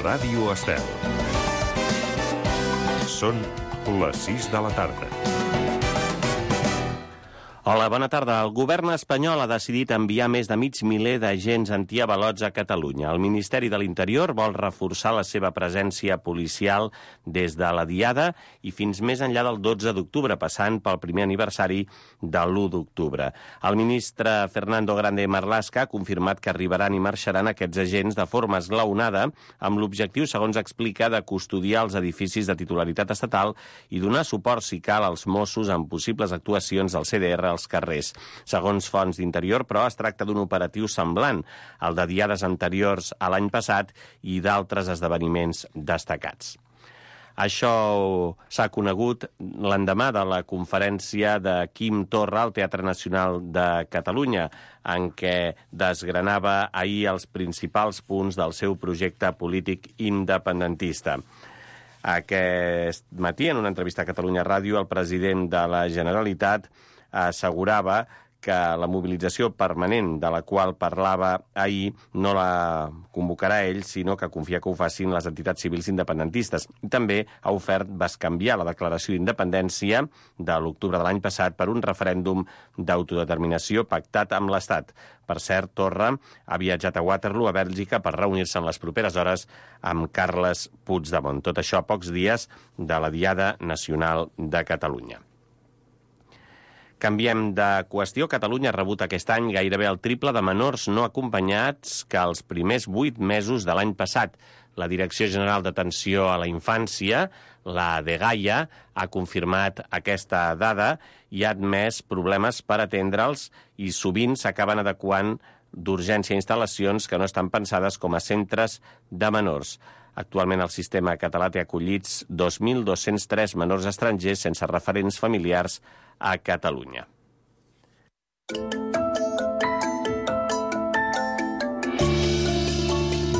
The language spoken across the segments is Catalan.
Ràdio Estel. Són les 6 de la tarda. Hola, bona tarda. El govern espanyol ha decidit enviar més de mig miler d'agents antiavalots a Catalunya. El Ministeri de l'Interior vol reforçar la seva presència policial des de la Diada i fins més enllà del 12 d'octubre, passant pel primer aniversari de l'1 d'octubre. El ministre Fernando Grande Marlaska ha confirmat que arribaran i marxaran aquests agents de forma esglaonada amb l'objectiu, segons explica, de custodiar els edificis de titularitat estatal i donar suport, si cal, als Mossos en possibles actuacions del CDR als carrers. Segons fonts d'Interior, però, es tracta d'un operatiu semblant al de diades anteriors a l'any passat i d'altres esdeveniments destacats. Això s'ha conegut l'endemà de la conferència de Quim Torra al Teatre Nacional de Catalunya, en què desgranava ahir els principals punts del seu projecte polític independentista. Aquest matí, en una entrevista a Catalunya Ràdio, el president de la Generalitat assegurava que la mobilització permanent de la qual parlava ahir no la convocarà ell, sinó que confia que ho facin les entitats civils independentistes. També ha ofert bescanviar la declaració d'independència de l'octubre de l'any passat per un referèndum d'autodeterminació pactat amb l'Estat. Per cert, Torra ha viatjat a Waterloo, a Bèlgica, per reunir-se en les properes hores amb Carles Puigdemont. Tot això a pocs dies de la Diada Nacional de Catalunya. Canviem de qüestió. Catalunya ha rebut aquest any gairebé el triple de menors no acompanyats que els primers 8 mesos de l'any passat. La Direcció General d'Atenció a la Infància, la DGAIA, ha confirmat aquesta dada i ha admès problemes per atendre'ls i sovint s'acaben adequant d'urgència a instal·lacions que no estan pensades com a centres de menors. Actualment el sistema català té acollits 2.203 menors estrangers sense referents familiars a Catalunya.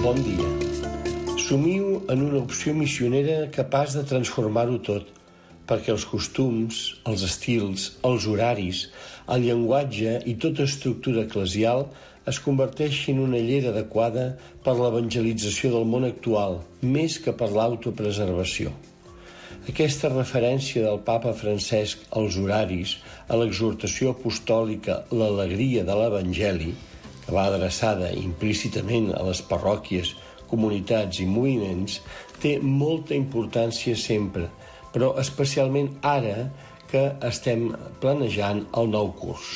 Bon dia. Somiu en una opció missionera capaç de transformar-ho tot, perquè els costums, els estils, els horaris, el llenguatge i tota estructura eclesial es converteixi en una llera adequada per l'evangelització del món actual, més que per l'autopreservació. Aquesta referència del papa Francesc als horaris, a l'exhortació apostòlica l'alegria de l'Evangeli, que va adreçada implícitament a les parròquies, comunitats i moviments, té molta importància sempre, però especialment ara que estem planejant el nou curs.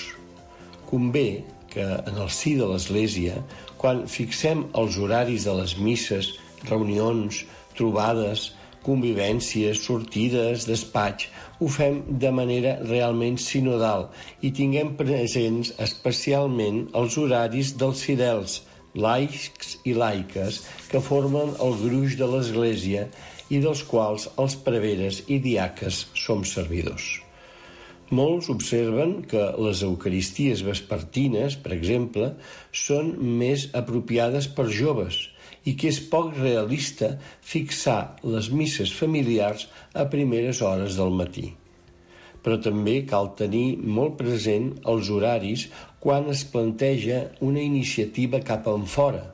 Convé que en el si de l'Església, quan fixem els horaris de les misses, reunions, trobades, convivències, sortides, despatx, ho fem de manera realment sinodal i tinguem presents especialment els horaris dels fidels, laics i laiques, que formen el gruix de l'Església i dels quals els preveres i diaques som servidors. Molts observen que les eucaristies vespertines, per exemple, són més apropiades per joves i que és poc realista fixar les misses familiars a primeres hores del matí. Però també cal tenir molt present els horaris quan es planteja una iniciativa cap enfora.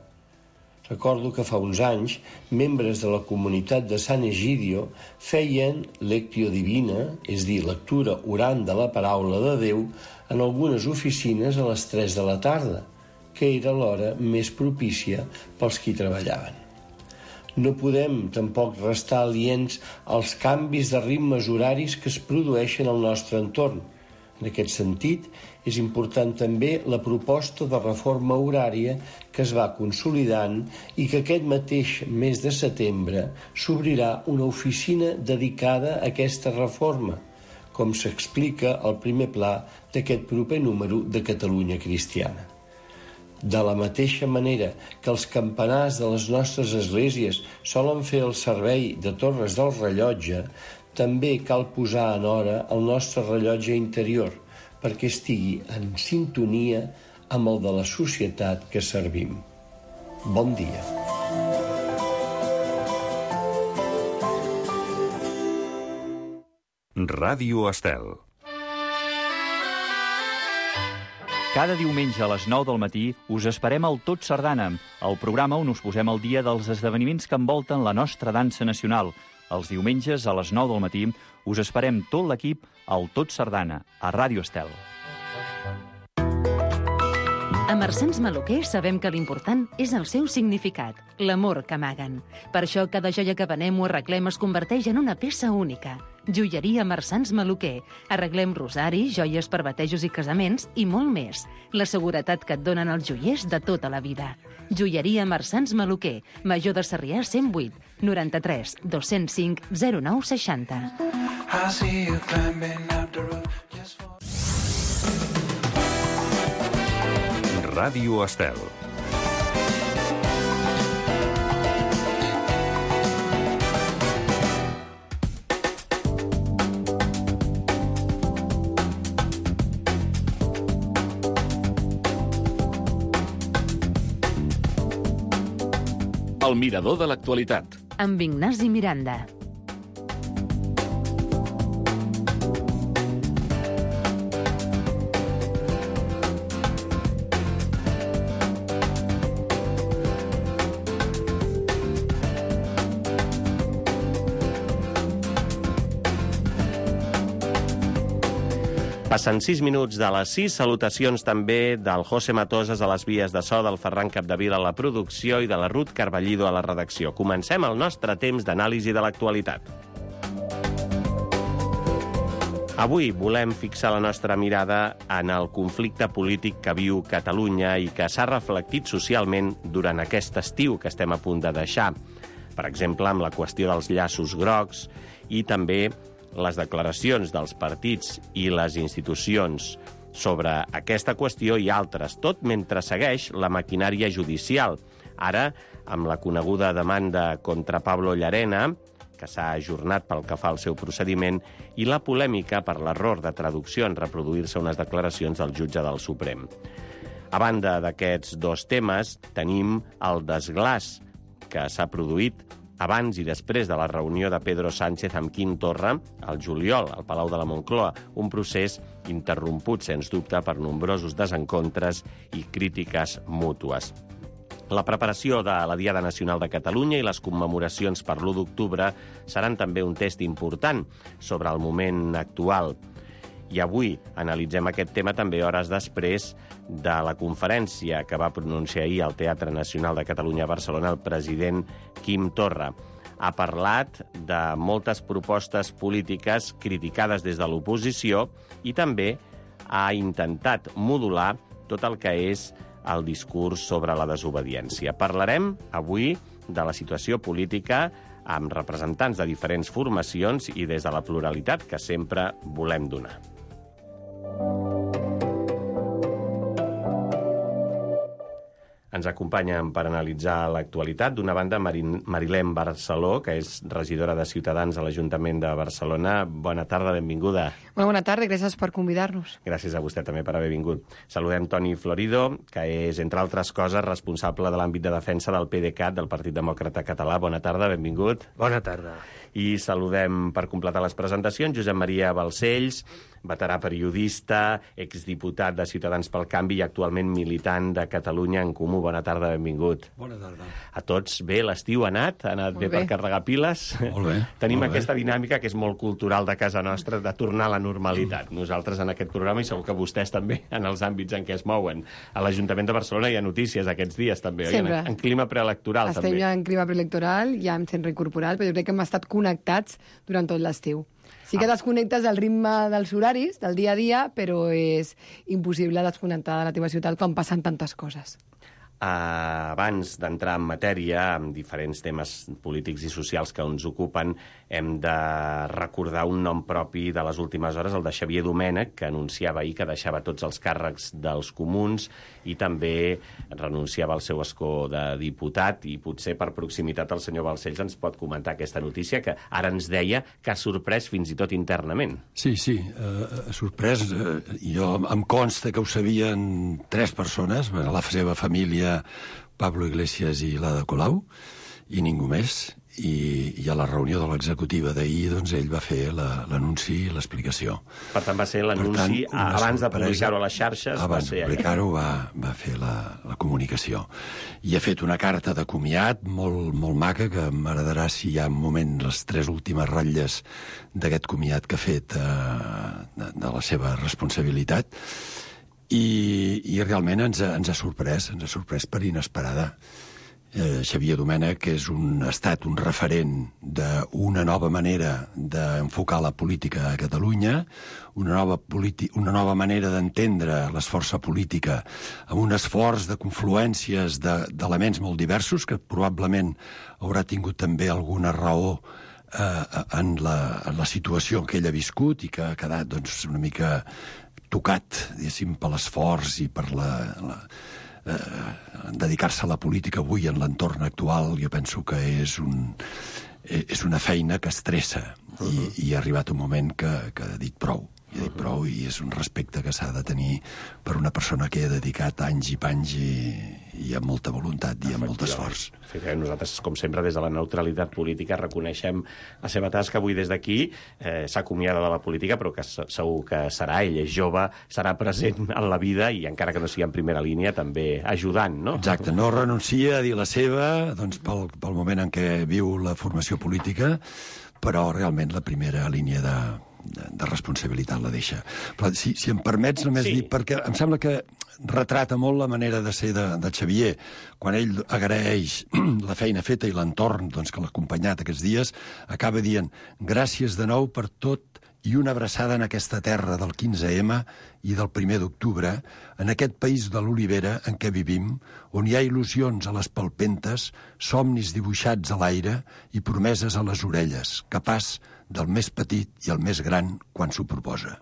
Recordo que fa uns anys, membres de la comunitat de Sant Egidio feien lectio divina, és dir, lectura orant de la paraula de Déu, en algunes oficines a les 3 de la tarda, que era l'hora més propícia pels qui treballaven. No podem tampoc restar aliens als canvis de ritmes horaris que es produeixen al nostre entorn. En aquest sentit, és important també la proposta de reforma horària que es va consolidant i que aquest mateix mes de setembre s'obrirà una oficina dedicada a aquesta reforma, com s'explica al primer pla d'aquest proper número de Catalunya Cristiana. De la mateixa manera que els campanars de les nostres esglésies solen fer el servei de torres del rellotge, també cal posar en hora el nostre rellotge interior perquè estigui en sintonia amb el de la societat que servim. Bon dia. Ràdio Estel. Cada diumenge a les 9 del matí us esperem al Tot Sardana, el programa on us posem al dia dels esdeveniments que envolten la nostra dansa nacional. Els diumenges a les 9 del matí us esperem tot l'equip al Tot Sardana, a Ràdio Estel. A Marsans Maluquer sabem que l'important és el seu significat, l'amor que amaguen. Per això cada joia que venem o arreglem es converteix en una peça única. Joieria Marsans Maluquer. Arreglem rosaris, joies per batejos i casaments i molt més. La seguretat que et donen els joiers de tota la vida. Joieria Marsans Maluquer. Major de Sarrià 108 93 205 09 60. Ràdio Estel. El mirador de l'actualitat. Amb Ignasi Miranda. Passen 6 minuts de les 6. Salutacions també del José Matosas a les vies de so, del Ferran Capdevila a la producció i de la Ruth Carballido a la redacció. Comencem el nostre temps d'anàlisi de l'actualitat. Avui volem fixar la nostra mirada en el conflicte polític que viu Catalunya i que s'ha reflectit socialment durant aquest estiu que estem a punt de deixar. Per exemple, amb la qüestió dels llaços grocs i també les declaracions dels partits i les institucions sobre aquesta qüestió i altres, tot mentre segueix la maquinària judicial. Ara, amb la coneguda demanda contra Pablo Llarena, que s'ha ajornat pel que fa al seu procediment, i la polèmica per l'error de traducció en reproduir-se unes declaracions del jutge del Suprem. A banda d'aquests dos temes, tenim el desglaç que s'ha produït abans i després de la reunió de Pedro Sánchez amb Quim Torra, al juliol, al Palau de la Moncloa, un procés interromput, sens dubte, per nombrosos desencontres i crítiques mútues. La preparació de la Diada Nacional de Catalunya i les commemoracions per l'1 d'octubre seran també un test important sobre el moment actual. I avui analitzem aquest tema també hores després de la conferència que va pronunciar ahir al Teatre Nacional de Catalunya a Barcelona el president Quim Torra. Ha parlat de moltes propostes polítiques criticades des de l'oposició i també ha intentat modular tot el que és el discurs sobre la desobediència. Parlarem avui de la situació política amb representants de diferents formacions i des de la pluralitat que sempre volem donar. Ens acompanyen per analitzar l'actualitat. D'una banda, Marilén Barceló, que és regidora de Ciutadans a l'Ajuntament de Barcelona. Bona tarda, benvinguda. Molt bona tarda, gràcies per convidar-nos. Gràcies a vostè també per haver vingut. Saludem Toni Florido, que és, entre altres coses, responsable de l'àmbit de defensa del PDeCAT, del Partit Demòcrata Català. Bona tarda, benvingut. Bona tarda. I saludem, per completar les presentacions, Josep Maria Balcells, veterà periodista, exdiputat de Ciutadans pel Canvi i actualment militant de Catalunya en Comú. Bona tarda, benvingut. Bona tarda. A tots bé, l'estiu ha anat bé per carregar piles. Molt bé. Tenim molt aquesta bé. dinàmica que és molt cultural de casa nostra, de tornar a la normalitat. Nosaltres en aquest programa, i segur que vostès també, en els àmbits en què es mouen. A l'Ajuntament de Barcelona hi ha notícies aquests dies també, Sempre. oi? En clima preelectoral Estem també. ja en clima preelectoral, ja hem sent reincorporat, però jo crec que hem estat connectats durant tot l'estiu. Sí que desconnectes del ritme dels horaris, del dia a dia, però és impossible desconnectar de la teva ciutat quan passen tantes coses. Abans d'entrar en matèria, amb diferents temes polítics i socials que ens ocupen, hem de recordar un nom propi de les últimes hores, el de Xavier Domènech, que anunciava ahir que deixava tots els càrrecs dels comuns i també renunciava al seu escó de diputat, i potser per proximitat el senyor Balcells ens pot comentar aquesta notícia que ara ens deia que ha sorprès fins i tot internament. Sí, sorprès. Jo em consta que ho sabien 3 persones, la seva família, Pablo Iglesias i l'Ada Colau, i ningú més. I a la reunió de l'executiva d'ahir, doncs, ell va fer l'anunci i l'explicació. Per tant, va ser l'anunci abans de publicar-ho a les xarxes. Abans de publicar-ho va fer la comunicació. I ha fet una carta de comiat molt, molt maca, que m'agradarà si hi ha un moment les 3 últimes ratlles d'aquest comiat que ha fet de la seva responsabilitat. I realment ens ha sorprès per inesperada. Xavier Domènech ha estat un referent d'una nova manera d'enfocar la política a Catalunya, una nova manera d'entendre l'esforça política amb un esforç de confluències d'elements molt diversos, que probablement haurà tingut també alguna raó en la situació que ell ha viscut i que ha quedat doncs, una mica tocat, diguéssim, per l'esforç i per dedicar-se a la política avui en l'entorn actual. Jo penso que és una feina que estressa i ha arribat un moment que ha dit prou. I és un respecte que s'ha de tenir per una persona que ha dedicat anys i panys i amb molta voluntat i amb molt esforç. Nosaltres, com sempre, des de la neutralitat política reconeixem la seva tasca. Avui des d'aquí s'acomiada de la política, però que segur que serà, ell és jove, serà present en la vida i encara que no sigui en primera línia, també ajudant, no? Exacte, no renuncia a dir la seva doncs, pel moment en què viu la formació política, però realment la primera línia de responsabilitat la deixa. Però si em permets només dir, perquè em sembla que retrata molt la manera de ser de Xavier, quan ell agraeix la feina feta i l'entorn doncs, que l'ha acompanyat aquests dies, acaba dient gràcies de nou per tot i una abraçada en aquesta terra del 15M i del 1 d'octubre, en aquest país de l'olivera en què vivim, on hi ha il·lusions a les palpentes, somnis dibuixats a l'aire i promeses a les orelles, capaç del més petit i el més gran quan s'ho proposa.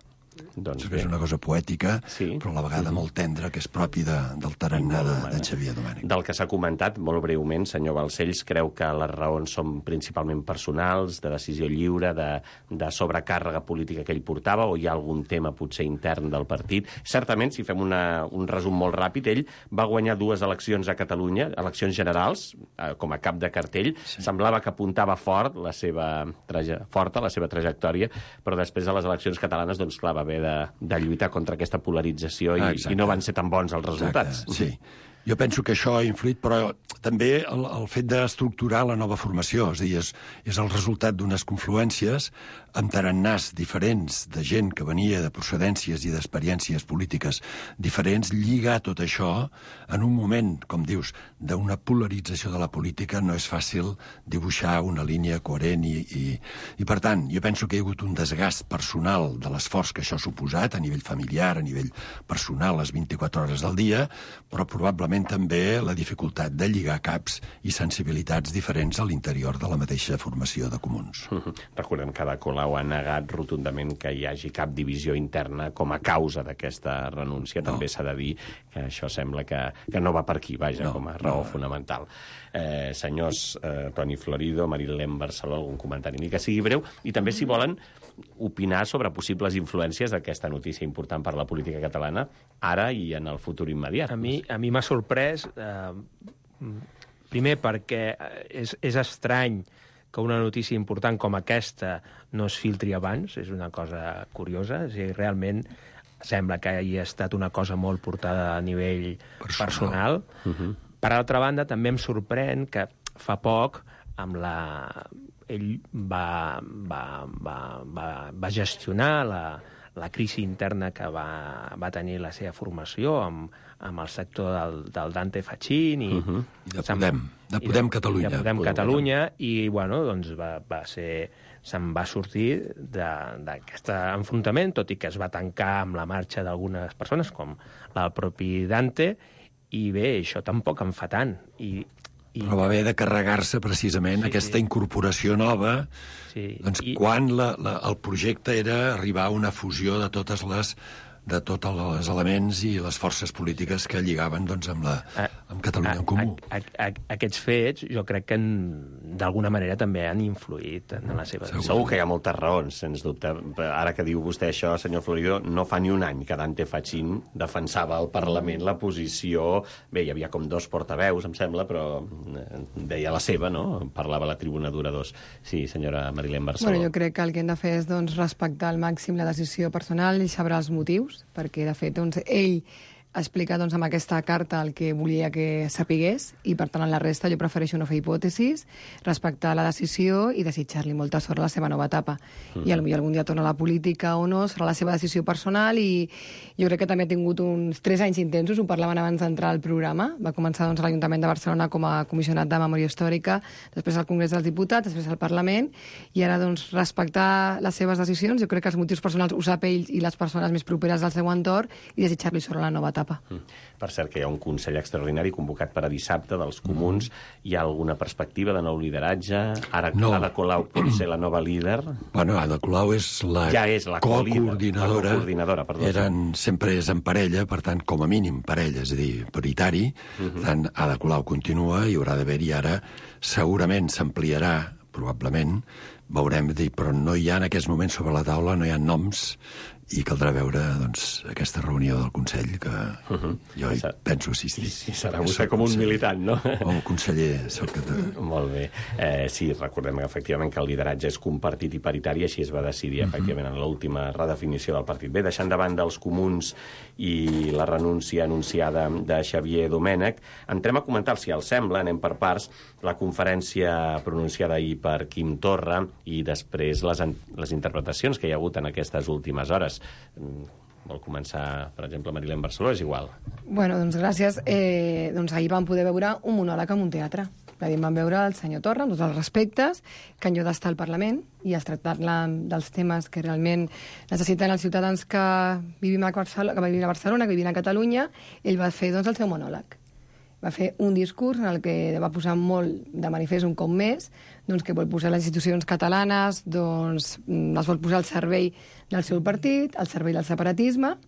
Doncs és una cosa poètica, però a la vegada molt tendra, que és propi del tarannà de Xavier Domènech. Del que s'ha comentat, molt breument, senyor Balcells, creu que les raons són principalment personals, de decisió lliure, de sobrecàrrega política que ell portava, o hi ha algun tema potser intern del partit? Certament, si fem un resum molt ràpid, ell va guanyar 2 eleccions a Catalunya, eleccions generals, com a cap de cartell. Semblava que apuntava fort la seva trajectòria, però després de les eleccions catalanes, doncs clar, va haver de lluitar contra aquesta polarització i no van ser tan bons els resultats. Exacte, sí. Jo penso que això ha influït, però també el fet d'estructurar la nova formació, és a dir, és el resultat d'unes confluències amb tarannàs diferents de gent que venia de procedències i d'experiències polítiques diferents, lligar tot això en un moment, com dius, d'una polarització de la política. No és fàcil dibuixar una línia coherent i per tant, jo penso que hi ha hagut un desgast personal de l'esforç que això ha suposat, a nivell familiar, a nivell personal, les 24 hores del dia, però probablement també la dificultat de lligar caps i sensibilitats diferents a l'interior de la mateixa formació de comuns. Recordem que Ada Colau ha negat rotundament que hi hagi cap divisió interna com a causa d'aquesta renúncia. També s'ha de dir que això sembla que no va per aquí, vaja, com a raó fonamental. Senyors Toni Florido, Marilén Barceló, algun comentari, ni que sigui breu, i també si volen opinar sobre possibles influències d'aquesta notícia important per la política catalana ara i en el futur immediat. A mi m'ha sorprès, primer perquè és estrany que una notícia important com aquesta no es filtri abans, és una cosa curiosa, és a dir, realment sembla que hi ha estat una cosa molt portada a nivell personal. Per altra banda, també em sorprèn que fa poc ell va gestionar la crisi interna que va tenir la seva formació amb el sector del Dante Fachin i de Podem Catalunya. De Podem Catalunya, i bueno, doncs se'n va sortir d'aquest enfrontament, tot i que es va tancar amb la marxa d'algunes persones, com el propi Dante, i bé, això tampoc en fa tant. Però va haver de carregar-se precisament aquesta incorporació nova, quan el projecte era arribar a una fusió de tots els elements i les forces polítiques que lligaven amb Catalunya en Comú. Aquests fets jo crec que d'alguna manera també han influït en la seva decisió. Segur que hi ha moltes raons, sens dubte. Ara que diu vostè això, senyor Florido, no fa ni un any que Dante Fachin defensava al Parlament la posició... Bé, hi havia com 2 portaveus, em sembla, però deia la seva, no? Parlava a la tribuna d'oradors. Sí, senyora Marilén Barceló. Bueno, jo crec que el que hem de fer és respectar al màxim la decisió personal i saber els motius, perquè, de fet, ell explica amb aquesta carta el que volia que sapigués i, per tant, en la resta jo prefereixo no fer hipòtesis, respectar la decisió i desitjar-li molta sort a la seva nova etapa. I potser algun dia torna a la política o no, serà la seva decisió personal i jo crec que també ha tingut uns 3 anys intensos, ho parlaven abans d'entrar al programa, va començar a l'Ajuntament de Barcelona com a comissionat de Memòria Històrica, després al Congrés dels Diputats, després al Parlament, i ara respectar les seves decisions, jo crec que els motius personals ho sap ell i les persones més properes al seu entorn i desitjar-li sort a la nova etapa. Per cert, que hi ha un Consell Extraordinari convocat per a dissabte dels Comuns. Hi ha alguna perspectiva de nou lideratge? Ara Ada Colau pot ser la nova líder? Bueno, Ada Colau és la coordinadora. Sempre és en parella, per tant, com a mínim parella, és a dir, paritari. Per tant, Ada Colau continua, hi haurà d'haver-hi ara, segurament s'ampliarà, probablement, veurem, però no hi ha en aquest moment sobre la taula, no hi ha noms, i caldrà veure aquesta reunió del Consell que jo hi penso assistir. Sí, serà vostè com un militant, no? O conseller. Molt bé. Sí, recordem efectivament que el lideratge és compartit i paritari, així es va decidir efectivament en l'última redefinició del partit. Bé, deixant de banda els Comuns i la renúncia anunciada de Xavier Domènech, entrem a comentar, si els sembla, anem per parts, la conferència pronunciada ahir per Quim Torra i després les interpretacions que hi ha hagut en aquestes últimes hores. Vol començar, per exemple, Marilén Barceló? És igual. Bueno, doncs gràcies. Ahir vam poder veure un monòleg en un teatre. Vam veure el senyor Torra, amb tots els respectes, que en lloc d'estar al Parlament i es tractar dels temes que realment necessiten els ciutadans que vivim a Barcelona, que vivim a Catalunya, ell va fer el seu monòleg. Va fer un discurs en el que va posar molt de manifest un cop més que vol posar les institucions catalanes, les vol posar al servei del seu partit, al servei del separatisme,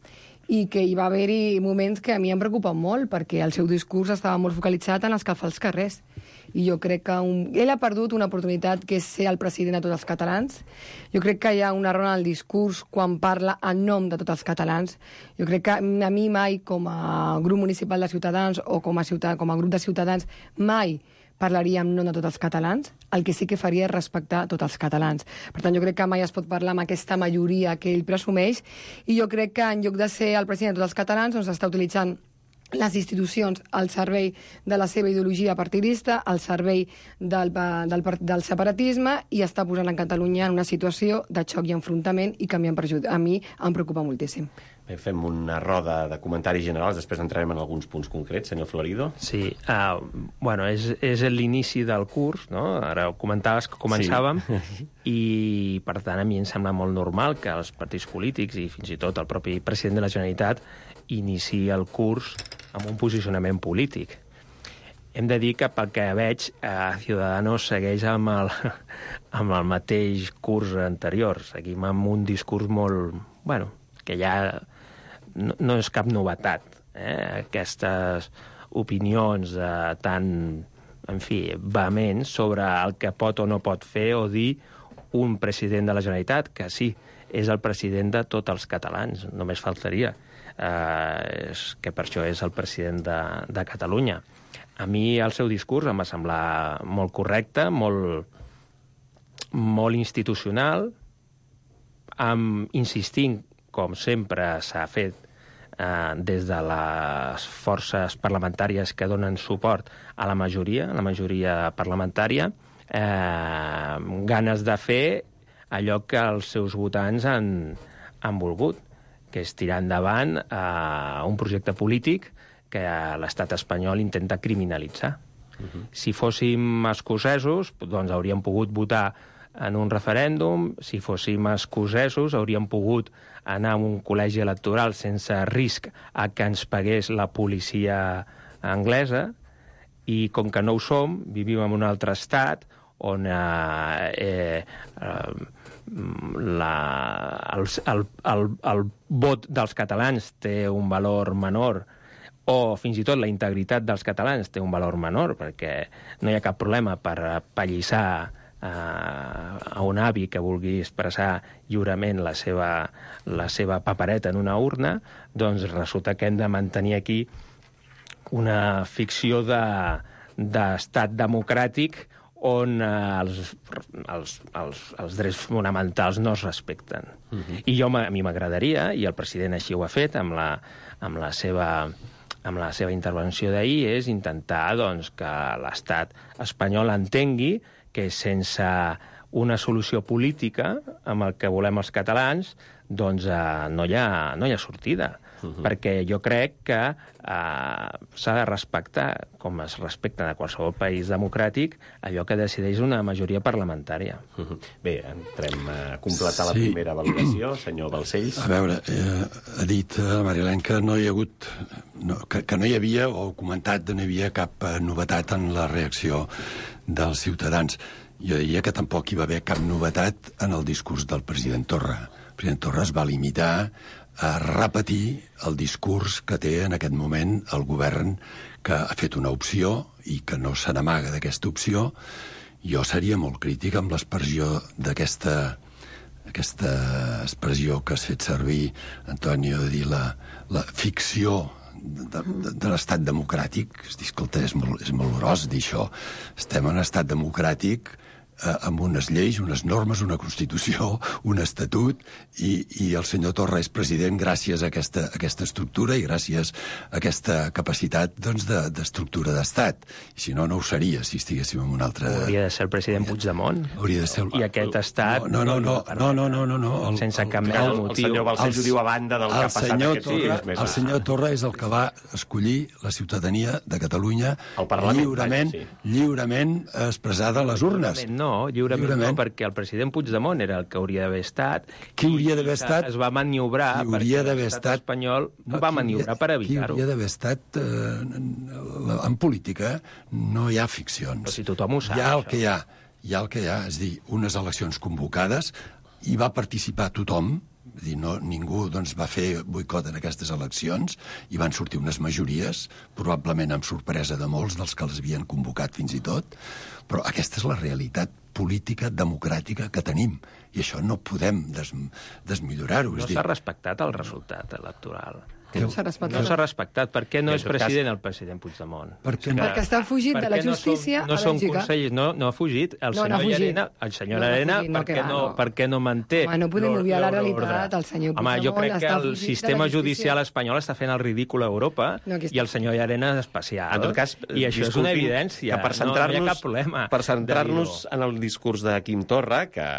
i que hi va haver-hi moments que a mi em preocupen molt, perquè el seu discurs estava molt focalitzat en escalfar els carrers. I jo crec que ell ha perdut una oportunitat que és ser el president de tots els catalans. Jo crec que hi ha un error en el discurs quan parla en nom de tots els catalans. Jo crec que a mi mai, com a grup municipal de Ciutadans o com a grup de ciutadans, mai parlaria en nom de tots els catalans. El que sí que faria és respectar tots els catalans. Per tant, jo crec que mai es pot parlar amb aquesta majoria que ell presumeix, i jo crec que en lloc de ser el president de tots els catalans, està utilitzant les institucions al servei de la seva ideologia partidista, al servei del separatisme, i està posant en Catalunya en una situació de xoc i enfrontament, i que a mi em preocupa moltíssim. Bé, fem una roda de comentaris generals, després entrarem en alguns punts concrets. Senyor Florido? Sí, és l'inici del curs, no? Ara ho comentaves que començàvem, i per tant a mi em sembla molt normal que els partits polítics i fins i tot el propi president de la Generalitat iniciï el curs amb un posicionament polític. Hem de dir que, pel que veig, Ciudadanos segueix amb el mateix curs anterior. Seguim amb un discurs molt... Bueno, que ja no és cap novetat. Aquestes opinions tan, en fi, vehements sobre el que pot o no pot fer o dir un president de la Generalitat, que sí, és el president de tots els catalans, només faltaria. Que per això és el president de Catalunya. A mi el seu discurs em va semblar molt correcte, molt institucional, insistint, com sempre s'ha fet des de les forces parlamentàries que donen suport a la majoria parlamentària, ganes de fer allò que els seus votants han volgut, que és tirar endavant un projecte polític que l'estat espanyol intenta criminalitzar. Si fóssim escocesos, doncs hauríem pogut votar en un referèndum. Si fóssim escocesos, hauríem pogut anar a un col·legi electoral sense risc a que ens pagués la policia anglesa, i com que no ho som, vivim en un altre estat on el vot dels catalans té un valor menor, o fins i tot la integritat dels catalans té un valor menor, perquè no hi ha cap problema per pallissar a un avi que vulgui expressar lliurement la seva papereta en una urna, doncs resulta que hem de mantenir aquí una ficció d'estat democràtic on els drets fonamentals no es respecten. I a mi m'agradaria, i el president així ho ha fet amb la seva intervenció d'ahir, és intentar que l'estat espanyol entengui que sense una solució política amb el que volem els catalans, doncs no hi ha sortida. Perquè jo crec que s'ha de respectar, com es respecta a qualsevol país democràtic, allò que decideix una majoria parlamentària. Bé, entrem a completar la primera valoració, senyor Balcells. A veure, ha dit la Marilén que no hi ha hagut, que no hi havia, o comentat que no hi havia cap novetat en la reacció dels ciutadans. Jo diria que tampoc hi va haver cap novetat en el discurs del president Torra. El president Torra es va limitar a repetir el discurs que té en aquest moment el govern, que ha fet una opció i que no se n'amaga d'aquesta opció. Jo seria molt crític amb l'expressió d'aquesta expressió que has fet servir, Antonio, de dir la ficció de l'estat democràtic. Escolta, és molt gros dir això. Estem en un estat democràtic amb unes lleis, unes normes, una Constitució, un Estatut, i el senyor Torra és president gràcies a aquesta estructura i gràcies a aquesta capacitat d'estructura d'estat. I si no, no ho seria, si estiguéssim en un altre... Hauria de ser el president Puigdemont. Hauria de ser... I aquest estat... No. Sense cap mena de motiu. El senyor Balcells ho diu a banda del que ha passat aquests dies. El senyor Torra és el que va escollir la ciutadania de Catalunya lliurement expressada a les urnes. No, lliurement no, perquè el president Puigdemont era el que hauria d'haver estat. Qui hauria d'haver estat? Es va maniobrar perquè l'estat espanyol va maniobrar per evitar-ho. Qui hauria d'haver estat en política no hi ha ficcions. Però si tothom ho sap, hi ha el que hi ha, és dir, unes eleccions convocades, hi va participar tothom, és dir, ningú va fer boicot en aquestes eleccions, i van sortir unes majories, probablement amb sorpresa de molts dels que les havien convocat fins i tot, però aquesta és la realitat política democràtica que tenim, i això no podem desmillorar-ho. No s'ha respectat el resultat electoral. No s'ha respectat. No s'ha respectat. Per què no és president el president Puigdemont? Perquè està fugint de la justícia a Bèlgica. No són consellers, no ha fugit. El senyor Arena, per què no manté... Home, no podem obviar la realitat. El senyor Puigdemont jo crec que el sistema judicial espanyol està fent el ridícul a Europa i el senyor Arena és especial. En tot cas, i això és una evidència. No hi ha cap problema. Per centrar-nos en el discurs de Quim Torra, que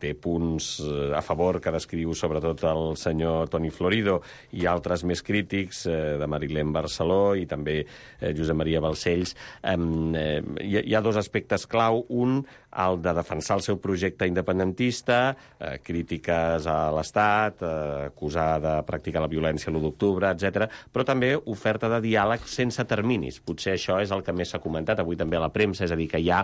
té punts a favor que descriu sobretot el senyor Toni Florido i altres més crítics, de Marilén Barceló i també Josep Maria Balcells, hi ha dos aspectes clau. Un, el de defensar el seu projecte independentista, crítiques a l'Estat, acusar de practicar la violència l'1 d'octubre, etc., però també oferta de diàleg sense terminis. Potser això és el que més s'ha comentat avui també a la premsa, és a dir, que hi ha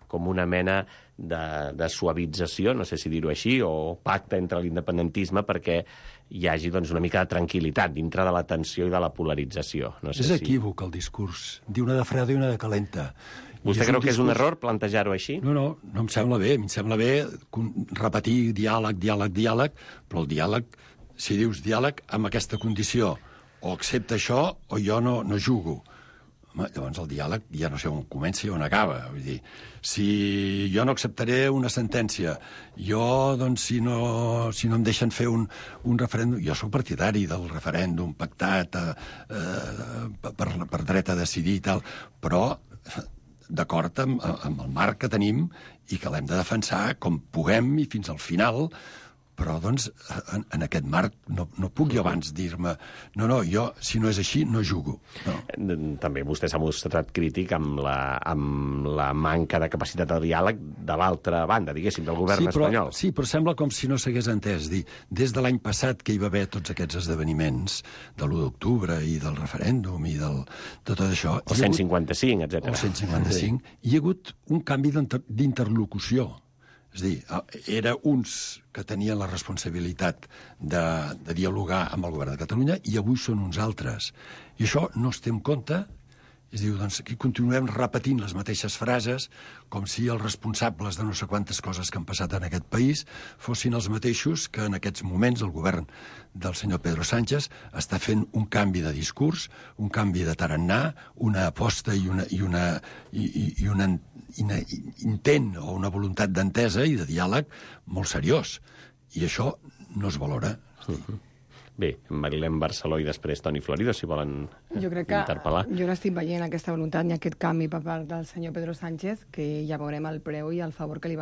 com una mena de suavització, no sé si dir-ho així, o pacte entre l'independentisme perquè hi hagi una mica de tranquil·litat dintre de la tensió i de la polarització. És equívoc el discurs. Diu una de freda i una de calenta. Vostè creu que és un error plantejar-ho així? No em sembla bé. Em sembla bé repetir diàleg, però el diàleg, si dius diàleg amb aquesta condició, o accepta això o jo no jugo. Llavors el diàleg ja no sé on comença i on acaba. Vull dir, si jo no acceptaré una sentència, si no em deixen fer un referèndum... Jo soc partidari del referèndum pactat per dret a decidir i tal, però d'acord amb el marc que tenim i que l'hem de defensar com puguem i fins al final. Però, en aquest marc no puc jo abans dir-me jo, si no és així, no jugo. També vostè s'ha mostrat crític amb la manca de capacitat de diàleg de l'altra banda, diguéssim, del govern espanyol. Sí, però sembla com si no s'hagués entès. Des de l'any passat que hi va haver tots aquests esdeveniments de l'1 d'octubre i del referèndum i de tot això... O 155, etc. O 155. Hi ha hagut un canvi d'interlocució. És a dir, era uns que tenien la responsabilitat de dialogar amb el govern de Catalunya i avui són uns altres. I això no es té en compte. Es diu, doncs, aquí continuem repetint les mateixes frases com si els responsables de no sé quantes coses que han passat en aquest país fossin els mateixos que en aquests moments el govern del senyor Pedro Sánchez està fent un canvi de discurs, un canvi de tarannà, una aposta i un intent o una voluntat d'entesa i de diàleg molt seriós. I això no es valora. Bé, Marilén Barceló i després Toni Florido, si volen interpel·lar. Jo n'estic veient aquesta voluntat ni aquest canvi per part del senyor Pedro Sánchez, que ja veurem el preu i el favor que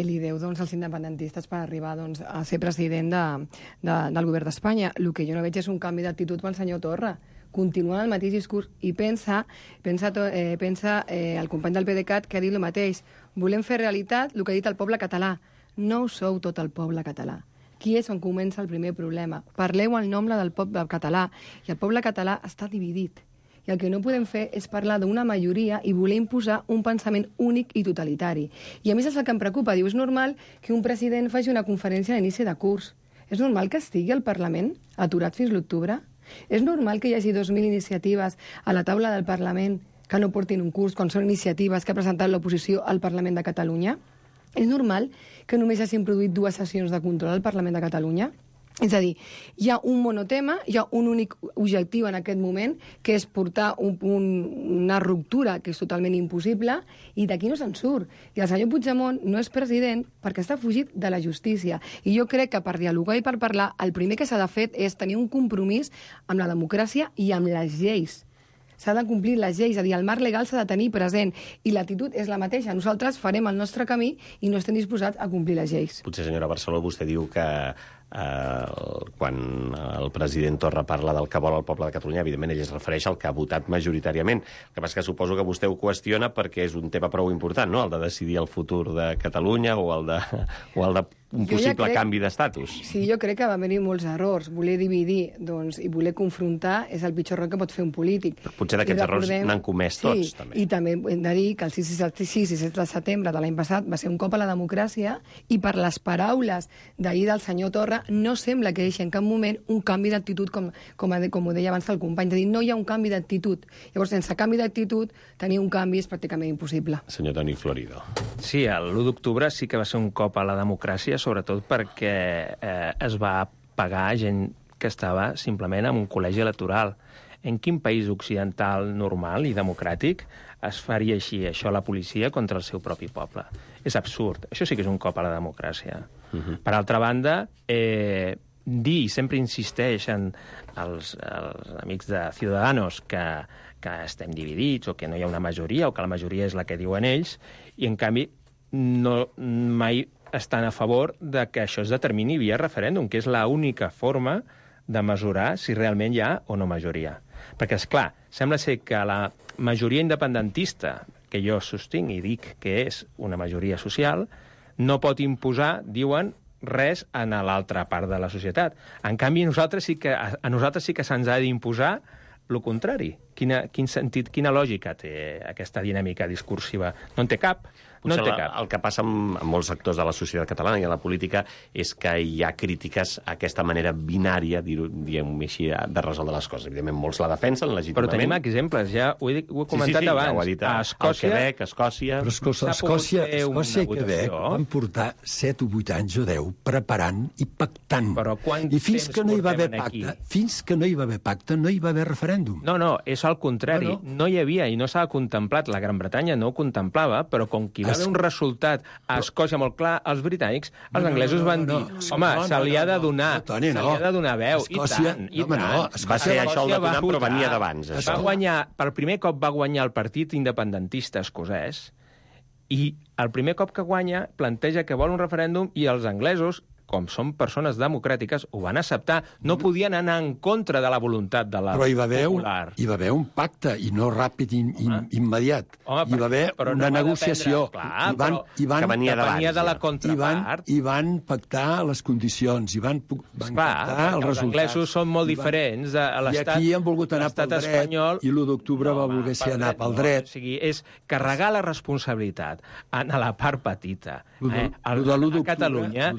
li deu als independentistes per arribar a ser president del govern d'Espanya. El que jo no veig és un canvi d'actitud pel senyor Torra. Continua el mateix discurs i pensa el company del PDeCAT que ha dit el mateix. Volem fer realitat el que ha dit el poble català. No ho sou tot el poble català. Aquí és on comença el primer problema. Parleu el nom del poble català i el poble català està dividit. I el que no podem fer és parlar d'una majoria i voler imposar un pensament únic i totalitari. I a més és el que em preocupa. Diu, és normal que un president faci una conferència a l'inici de curs. És normal que estigui al Parlament aturat fins l'octubre? És normal que hi hagi 2.000 iniciatives a la taula del Parlament que no portin un curs quan són iniciatives que ha presentat l'oposició al Parlament de Catalunya? És normal que només hagin produït 2 sessions de control al Parlament de Catalunya? És a dir, hi ha un monotema, hi ha un únic objectiu en aquest moment, que és portar una ruptura que és totalment impossible, i d'aquí no se'n surt. I el senyor Puigdemont no és president perquè està fugit de la justícia. I jo crec que per dialogar i per parlar, el primer que s'ha de fer és tenir un compromís amb la democràcia i amb les lleis. S'ha de complir les lleis, és a dir, el marc legal s'ha de tenir present, i l'actitud és la mateixa. Nosaltres farem el nostre camí i no estem disposats a complir les lleis. Potser, senyora Barceló, vostè diu que quan el president Torra parla del que vol el poble de Catalunya, evidentment ell es refereix al que ha votat majoritàriament. El que passa és que suposo que vostè ho qüestiona perquè és un tema prou important, no?, el de decidir el futur de Catalunya o el de un possible canvi d'estatus. Sí, jo crec que va haver-hi molts errors. Voler dividir i voler confrontar és el pitjor error que pot fer un polític. Però potser d'aquests errors n'han comès tots, també. I també hem de dir que el 6 i 7 de setembre de l'any passat va ser un cop a la democràcia, i per les paraules d'ahir del senyor Torra no sembla que deixi en cap moment un canvi d'actitud, com ho deia abans el company, de dir, no hi ha un canvi d'actitud. Llavors, sense canvi d'actitud, tenir un canvi és pràcticament impossible. Senyor Toni Florido. Sí, l'1 d'octubre sí que va ser un cop a la democràcia, sobretot perquè es va pagar gent que estava simplement en un col·legi electoral. En quin país occidental normal i democràtic es faria així, això, la policia contra el seu propi poble? És absurd. Això sí que és un cop a la democràcia. Per altra banda, dir, sempre insisteixen els amics de Ciudadanos que estem dividits o que no hi ha una majoria o que la majoria és la que diuen ells, i en canvi mai estan a favor de que això es determini via referèndum, que és l'única forma de mesurar si realment hi ha o no majoria. Perquè, esclar, sembla ser que la majoria independentista, que jo sostinc i dic que és una majoria social, no pot imposar, diuen, res a l'altra part de la societat. En canvi, a nosaltres sí que se'ns ha d'imposar el contrari. Quin sentit, quina lògica té aquesta dinàmica discursiva? No en té cap. Potser el que passa amb molts sectors de la societat catalana i a la política és que hi ha crítiques a aquesta manera binària, diguem-ho així, de resoldre les coses. Evidentment, molts la defensen legítimament. Però tenim exemples, ja ho he comentat abans. Ja ho ha dit a Quebec, a Escòcia... Però Escòcia i Quebec van portar 7 o 8 anys o 10 preparant i pactant. I fins que no hi va haver pacte, no hi va haver referèndum. No, és al contrari. No hi havia i no s'ha contemplat. La Gran Bretanya no ho contemplava, però com que hi va haver un resultat a Escòcia molt clar, els britànics, els anglesos van dir, home, se li ha de donar veu, i tant. Va ser això el de donar, però venia d'abans. Per primer cop va guanyar el partit independentista escocès, i el primer cop que guanya planteja que vol un referèndum, i els anglesos com són persones democràtiques, ho van acceptar. No podien anar en contra de la voluntat de la Però hi va haver un pacte, i no ràpid immediat. Hi va haver una negociació. Que venia de la contrapart. I van pactar les condicions, i van pactar els resultats. Els anglesos són molt diferents de l'Estat. I aquí han volgut anar pel dret, espanyol, i l'1 d'octubre va voler anar pel dret. O sigui, és carregar la responsabilitat a la part petita. A Catalunya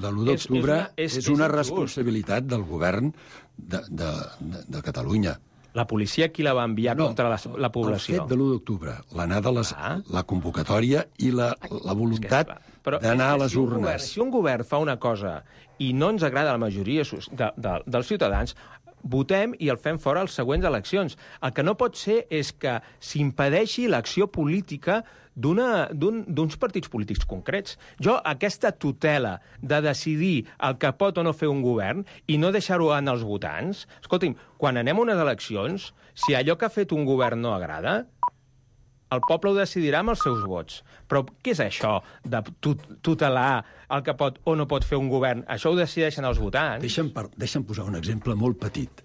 és una responsabilitat del govern de Catalunya. La policia qui la va enviar contra la població? El fet de l'1 d'octubre, l'anada la convocatòria i la voluntat d'anar a les urnes. Si un govern fa una cosa i no ens agrada la majoria dels ciutadans, votem i el fem fora a les següents eleccions. El que no pot ser és que s'impedeixi l'acció política d'uns partits polítics concrets. Jo, aquesta tutela de decidir el que pot o no fer un govern i no deixar-ho en els votants... Escolti'm, quan anem a unes eleccions, si allò que ha fet un govern no agrada, el poble ho decidirà amb els seus vots. Però què és això de tutelar el que pot o no pot fer un govern? Això ho decideixen els votants. Deixa'm posar un exemple molt petit.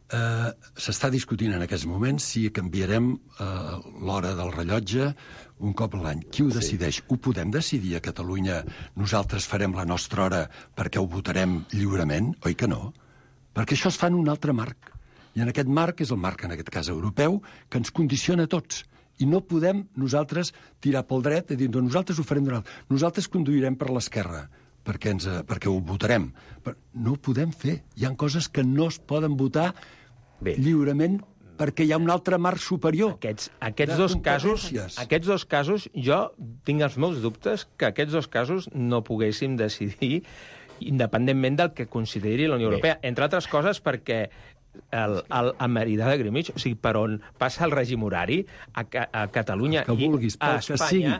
S'està discutint en aquests moments si canviarem l'hora del rellotge un cop a l'any. Qui ho decideix? Ho podem decidir a Catalunya? Nosaltres farem la nostra hora perquè ho votarem lliurement? Oi que no? Perquè això es fa en un altre marc. I en aquest marc, és el marc, en aquest cas europeu, que ens condiciona a tots. I no podem nosaltres tirar pel dret i dir, nosaltres ho farem d'un altre. Nosaltres conduirem per l'esquerra perquè ho votarem. Però no ho podem fer. Hi ha coses que no es poden votar lliurement perquè hi ha un altre marc superior. Aquests dos casos, jo tinc els meus dubtes que aquests dos casos no poguéssim decidir independentment del que consideri la Unió Europea. Entre altres coses perquè a Meridià de Greenwich, o sigui, per on passa el règim horari, a Catalunya i a Espanya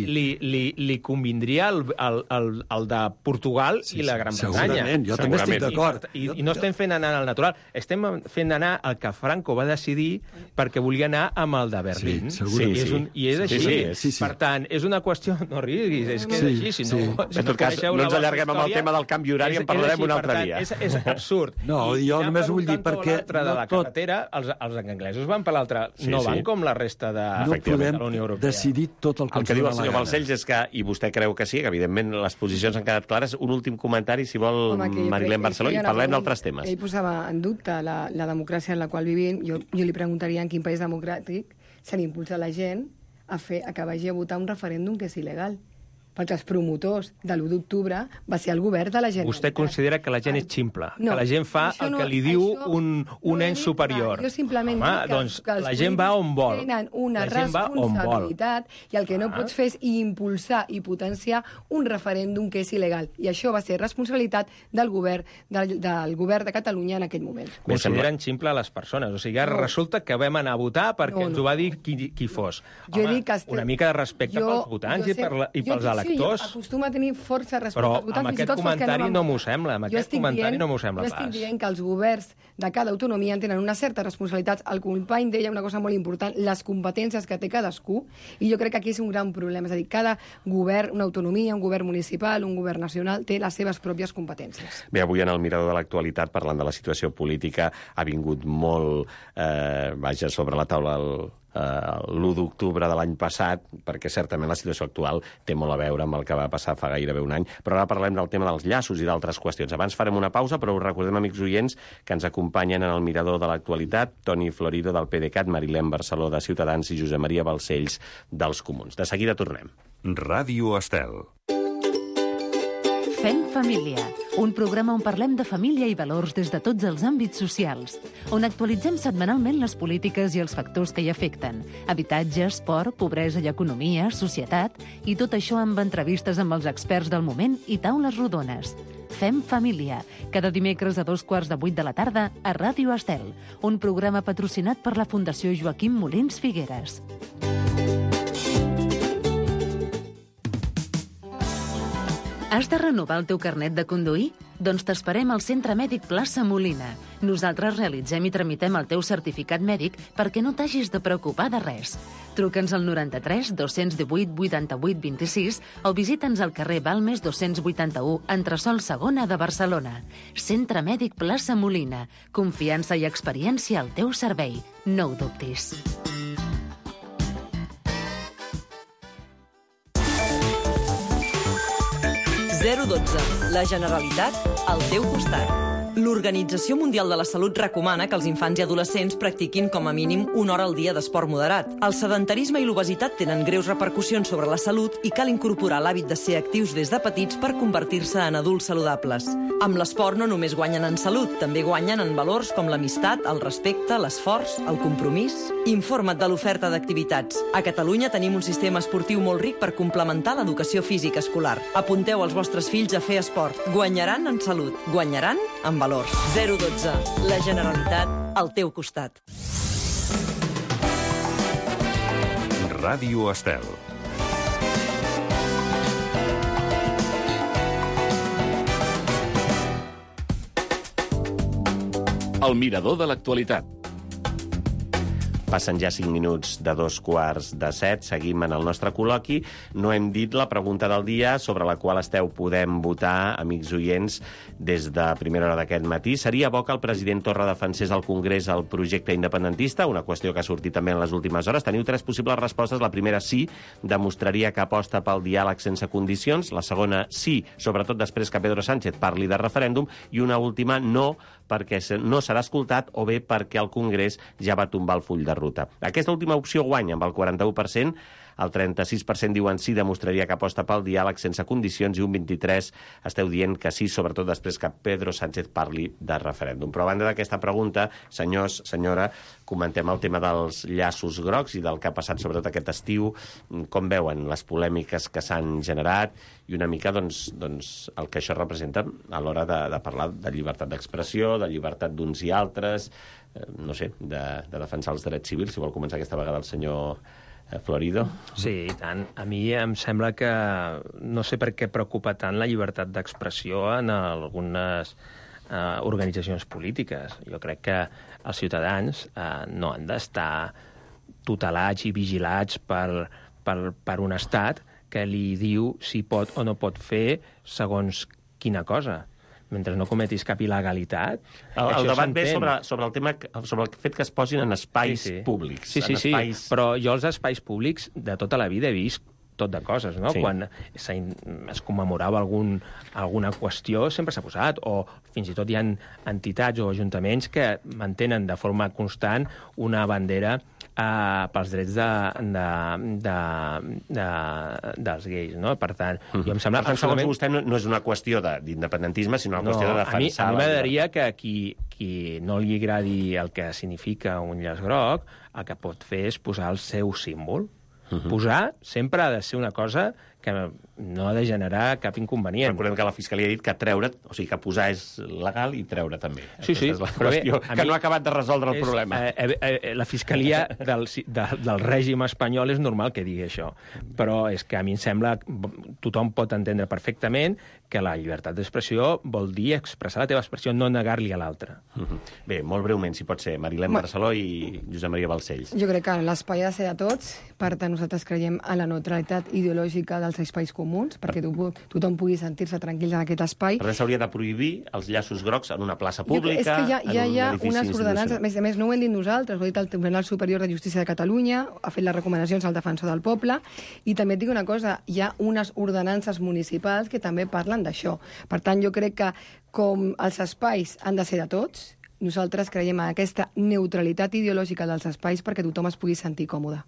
li convindria el de Portugal i la Gran Bretanya. Segurament, jo també estic d'acord. I no estem fent anar al natural, estem fent anar el que Franco va decidir perquè volia anar amb el de Berlín. I és així. Per tant, és una qüestió... No riguis, és que és així. En tot cas, no ens allarguem amb el tema del canvi horari, en parlarem un altre dia. És absurd. No, jo només vull dir perquè... de la carretera, els anglesos van per l'altra. No van com la resta de la Unió Europea. No podem decidir tot el que ens dona la gana. El que diu el senyor Balcells és que, i vostè creu que sí, que evidentment les posicions han quedat clares, un últim comentari, si vol, Marilén Barceló, i parlem d'altres temes. Ell posava en dubte la democràcia en la qual vivim. Jo li preguntaria en quin país democràtic se n'impulsa la gent a que vagi a votar un referèndum que és il·legal. Perquè els promotors de l'1 d'octubre va ser el govern de la Generalitat. Vostè considera que la gent és ximple, que la gent fa el que li diu un ens superior. Jo simplement dic que la gent va on vol. Tenen una responsabilitat i el que no pots fer és impulsar i potenciar un referèndum que és il·legal. I això va ser responsabilitat del govern de Catalunya en aquell moment. Consideren ximple les persones. O sigui, resulta que vam anar a votar perquè ens ho va dir qui fos. Home, una mica de respecte pels votants i pels electors. Sí, jo acostuma a tenir força respecte als votants. Però amb aquest comentari no m'ho sembla. Jo estic dient que els governs de cada autonomia tenen una certa responsabilitat. El company deia una cosa molt important, les competències que té cadascú, i jo crec que aquí és un gran problema. És a dir, cada govern, una autonomia, un govern municipal, un govern nacional, té les seves pròpies competències. Bé, avui en el Mirador de l'Actualitat, parlant de la situació política, ha vingut molt, sobre la taula l'1 d'octubre de l'any passat, perquè certament la situació actual té molt a veure amb el que va passar fa gairebé un any, però ara parlem del tema dels llaços i d'altres qüestions. Abans farem una pausa, però us recordem, amics oients, que ens acompanyen en el Mirador de l'Actualitat Toni Florido del PDeCAT, Marilén Barceló de Ciutadans i Josep Maria Balcells dels Comuns. De seguida tornem. Ràdio Estel. Fem família, un programa on parlem de família i valors des de tots els àmbits socials, on actualitzem setmanalment les polítiques i els factors que hi afecten, habitatge, esport, pobresa i economia, societat, i tot això amb entrevistes amb els experts del moment i taules rodones. Fem família, cada dimecres a 7:15 de la tarda a Ràdio Estel, un programa patrocinat per la Fundació Joaquim Molins Figueres. Has de renovar el teu carnet de conduir? Doncs t'esperem al Centre Mèdic Plaça Molina. Nosaltres realitzem i tramitem el teu certificat mèdic perquè no t'hagis de preocupar de res. Truca'ns al 93 218 88 26 o visita'ns al carrer Balmes 281, entresòl Segona de Barcelona. Centre Mèdic Plaça Molina. Confiança i experiència al teu servei. No ho dubtis. La Generalitat al teu costat. L'Organització Mundial de la Salut recomana que els infants i adolescents practiquin com a mínim 1 hora al dia d'esport moderat. El sedentarisme i l'obesitat tenen greus repercussions sobre la salut i cal incorporar l'hàbit de ser actius des de petits per convertir-se en adults saludables. Amb l'esport no només guanyen en salut, també guanyen en valors com l'amistat, el respecte, l'esforç, el compromís. Informa't de l'oferta d'activitats. A Catalunya tenim un sistema esportiu molt ric per complementar l'educació física escolar. Apunteu els vostres fills a fer esport. Guanyaran en salut. Guanyaran en valors. 012. La Generalitat al teu costat. Ràdio Estel. El mirador de l'actualitat. Passen ja 5 minuts de 2:45. Seguim en el nostre col·loqui. No hem dit la pregunta del dia sobre la qual podem votar, amics oients, des de primera hora d'aquest matí. Seria bo que el president Torra defensés al Congrés el projecte independentista? Una qüestió que ha sortit també en les últimes hores. Teniu 3 possibles respostes. La primera, sí, demostraria que aposta pel diàleg sense condicions. La segona, sí, sobretot després que Pedro Sánchez parli de referèndum. I una última, no, perquè no serà escoltat, o bé perquè el Congrés ja va tombar el full de ruta. Aquesta última opció guanya amb el 41%, el 36% diuen sí, demostraria que aposta pel diàleg sense condicions, i un 23% esteu dient que sí, sobretot després que Pedro Sánchez parli de referèndum. Però a banda d'aquesta pregunta, senyors, senyora, comentem el tema dels llaços grocs i del que ha passat sobretot aquest estiu. Com veuen les polèmiques que s'han generat i una mica doncs, el que això representa a l'hora de parlar de llibertat d'expressió, de llibertat d'uns i altres, no sé, de defensar els drets civils? Si vol començar aquesta vegada el senyor Florido. Sí, i tant. A mi em sembla que no sé per què preocupa tant la llibertat d'expressió en algunes organitzacions polítiques. Jo crec que els ciutadans no han d'estar tutelats i vigilats per un estat que li diu si pot o no pot fer segons quina cosa. Mentre no cometis cap il·legalitat... El debat ve sobre el tema, sobre el fet que es posin en espais públics. Sí, però jo els espais públics de tota la vida he vist tot de coses, no? Sí. Quan es commemorava alguna qüestió sempre s'ha posat, o fins i tot hi ha entitats o ajuntaments que mantenen de forma constant una bandera pels drets dels gais, no? Per tant, jo em sembla... Per tant, segons vostè, no és una qüestió d'independentisme, sinó una qüestió de defensar... A mi m'agradaria que qui no li agradi el que significa un llaç groc, el que pot fer és posar el seu símbol. Posar sempre ha de ser una cosa que no ha de generar cap inconvenient. Recordem que la Fiscalia ha dit que treure, o sigui, que posar és legal i treure també. Sí, és la qüestió, que no ha acabat de resoldre el problema. La Fiscalia del règim espanyol és normal que digui això, però és que a mi em sembla tothom pot entendre perfectament que la llibertat d'expressió vol dir expressar la teva expressió, no negar-li a l'altre. Bé, molt breument, si pot ser, Marilén Barceló i Josep Maria Balcells. Jo crec que l'espai ha de ser de tots, per tant nosaltres creiem en la neutralitat ideològica dels espais comuns, perquè tothom pugui sentir-se tranquil en aquest espai. Per tant, s'hauria de prohibir els llaços grocs en una plaça pública, és que hi ha unes ordenances, a més no ho hem dit nosaltres, ho ha dit el Tribunal Superior de Justícia de Catalunya, ha fet les recomanacions al Defensor del Poble, i també et dic una cosa, hi ha unes ordenances municipals que també parlen d'això. Per tant, jo crec que com els espais han de ser de tots, nosaltres creiem en aquesta neutralitat ideològica dels espais perquè tothom es pugui sentir còmode.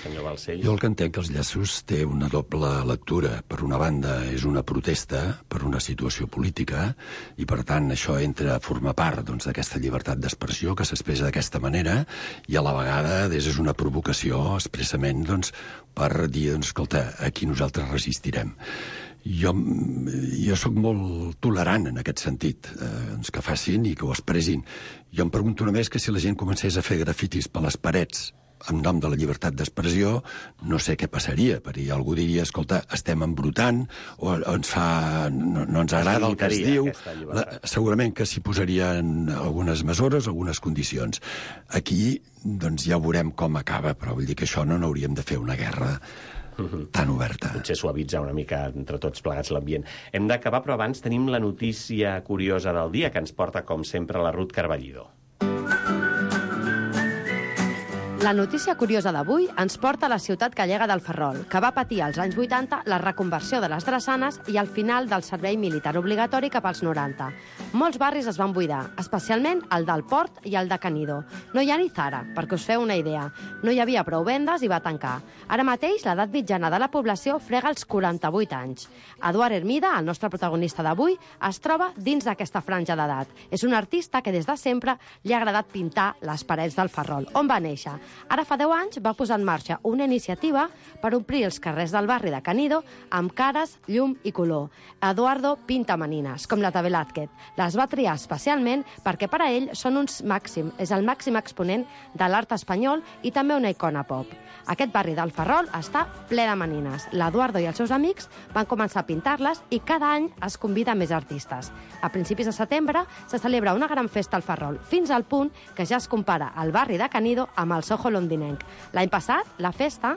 Senyor Balcells. Jo el que entenc que els llaços té una doble lectura. Per una banda, és una protesta per una situació política i, per tant, això entra a formar part d'aquesta llibertat d'expressió que s'expressa d'aquesta manera i, a la vegada, és una provocació expressament per dir, escolta, aquí nosaltres resistirem. Jo sóc molt tolerant en aquest sentit, que facin i que ho expressin. Jo em pregunto només que si la gent comencés a fer grafitis per les parets en nom de la llibertat d'expressió, no sé què passaria, perquè algú diria, escolta, estem embrutant, o no ens agrada el que es diu. Segurament que s'hi posarien algunes mesures, algunes condicions. Aquí, doncs, ja veurem com acaba, però vull dir que això no n'hauríem de fer una guerra tan oberta. Potser suavitzar una mica entre tots plegats l'ambient. Hem d'acabar, però abans tenim la notícia curiosa del dia, que ens porta, com sempre, la Ruth Carballido. La notícia curiosa d'avui ens porta a la ciutat gallega del Ferrol, que va patir als anys 80 la reconversió de les drassanes i el final del servei militar obligatori cap als 90. Molts barris es van buidar, especialment el del Port i el de Canido. No hi ha ni Zara, perquè us feu una idea. No hi havia prou vendes i va tancar. Ara mateix, l'edat mitjana de la població frega els 48 anys. Eduard Hermida, el nostre protagonista d'avui, es troba dins d'aquesta franja d'edat. És un artista que des de sempre li ha agradat pintar les parets del Ferrol, on va néixer. Ara fa 10 anys va posar en marxa una iniciativa per omplir els carrers del barri de Canido amb cares, llum i color. Eduardo pinta manines, com la de Velázquez. Les va triar especialment perquè per a ell és el màxim exponent de l'art espanyol i també una icona pop. Aquest barri del Ferrol està ple de manines. L'Eduardo i els seus amics van començar a pintar-les i cada any es convida més artistes. A principis de setembre se celebra una gran festa al Ferrol, fins al punt que ja es compara el barri de Canido amb el Soho londinenc. L'any passat, la festa